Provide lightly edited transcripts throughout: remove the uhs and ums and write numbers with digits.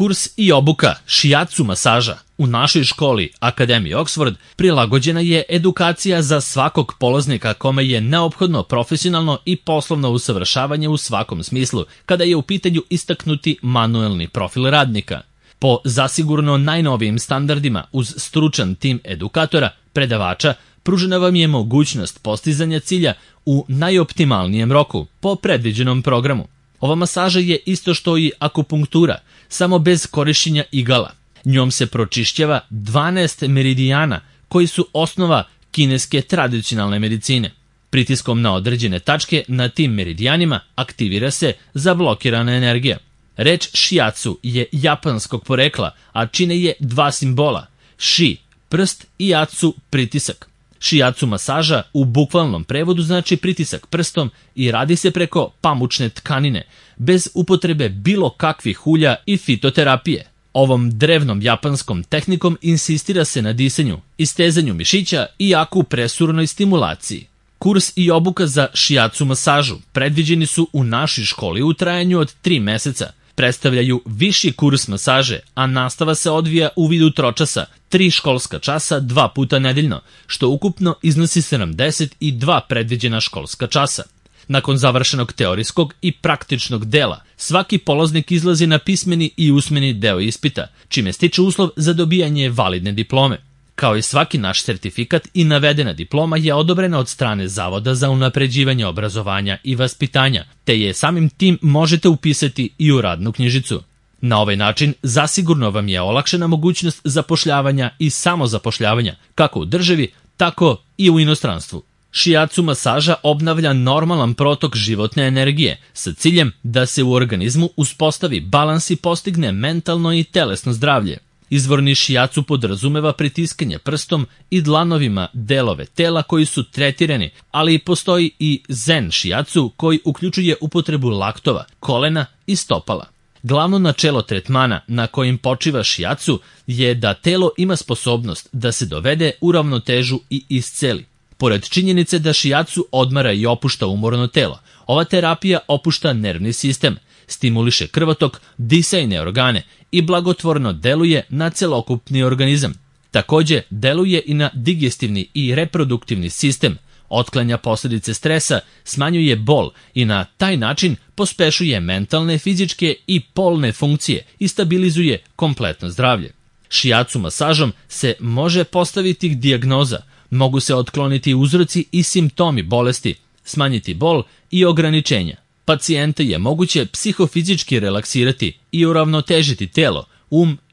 Kurs i obuka shiatsu masaža u našoj školi Akademije Oxford prilagođena je edukacija za svakog polaznika kome je neophodno profesionalno i poslovno usavršavanje u svakom smislu kada je u pitanju istaknuti manuelni profil radnika. Po zasigurno najnovijim standardima uz stručan tim edukatora, predavača, pružena vam je mogućnost postizanja cilja u najoptimalnijem roku po predviđenom programu. Ova masaža je isto što i akupunktura, samo bez korišćenja igala. Njom se pročišćava 12 meridijana koji su osnova kineske tradicionalne medicine. Pritiskom na određene tačke na tim meridijanima aktivira se zablokirana energija. Reč shiatsu je japanskog porekla, a čine je dva simbola, shi, prst i atsu, pritisak. Shiatsu masaža u bukvalnom prevodu znači pritisak prstom i radi se preko pamučne tkanine, bez upotrebe bilo kakvih ulja i fitoterapije. Ovom drevnom japanskom tehnikom insistira se na disanju, istezanju mišića i akupresurnoj stimulaciji. Kurs i obuka za shiatsu masažu predviđeni su u našoj školi u trajanju od 3 meseca. Predstavljaju viši kurs masaže, a nastava se odvija u vidu tročasa, 3 školska časa 2 puta nedeljno, što ukupno iznosi 72 predviđena školska časa. Nakon završenog teorijskog i praktičnog dela, svaki polaznik izlazi na pismeni i usmeni deo ispita, čime stiče uslov za dobijanje validne diplome. Kao i svaki naš sertifikat i navedena diploma je odobrena od strane Zavoda za unapređivanje obrazovanja i vaspitanja, te je samim tim možete upisati i u radnu knjižicu. Na ovaj način zasigurno vam je olakšana mogućnost zapošljavanja i samozapošljavanja, kako u državi, tako i u inostranstvu. Shiatsu masaža obnavlja normalan protok životne energije sa ciljem da se u organizmu uspostavi balans i postigne mentalno i telesno zdravlje. Izvorni shiatsu podrazumeva pritiskanje prstom i dlanovima delove tela koji su tretirani, ali postoji i zen shiatsu koji uključuje upotrebu laktova, kolena i stopala. Glavno načelo tretmana na kojim počiva shiatsu je da telo ima sposobnost da se dovede u ravnotežu i isceli. Pored činjenice da shiatsu odmara i opušta umorno telo, ova terapija opušta nervni sistem, stimuliše krvotok, disajne organe i blagotvorno deluje na celokupni organizam. Takođe, deluje i na digestivni i reproduktivni sistem, otklanja posljedice stresa, smanjuje bol i na taj način pospešuje mentalne, fizičke i polne funkcije i stabilizuje kompletno zdravlje. Shiatsu masažom se može postaviti dijagnoza, mogu se otkloniti uzroci i simptomi bolesti, smanjiti bol i ograničenja. Pacijente je moguće psihofizički relaksirati i uravnotežiti telo,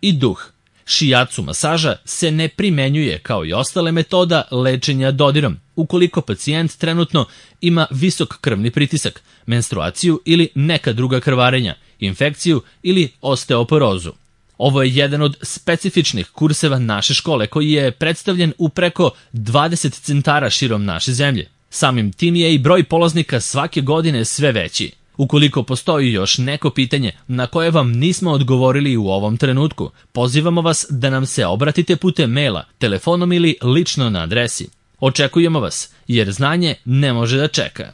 i duh. Shiatsu masaža se ne primenjuje kao i ostale metoda lečenja dodirom, ukoliko pacijent trenutno ima visok krvni pritisak, menstruaciju ili neka druga krvarenja, infekciju ili osteoporozu. Ovo je jedan od specifičnih kurseva naše škole koji je predstavljen u preko 20 centara širom naše zemlje. Samim tim je i broj polaznika svake godine sve veći. Ukoliko postoji još neko pitanje na koje vam nismo odgovorili u ovom trenutku, pozivamo vas da nam se obratite putem maila, telefonom ili lično na adresi. Očekujemo vas, jer znanje ne može da čeka.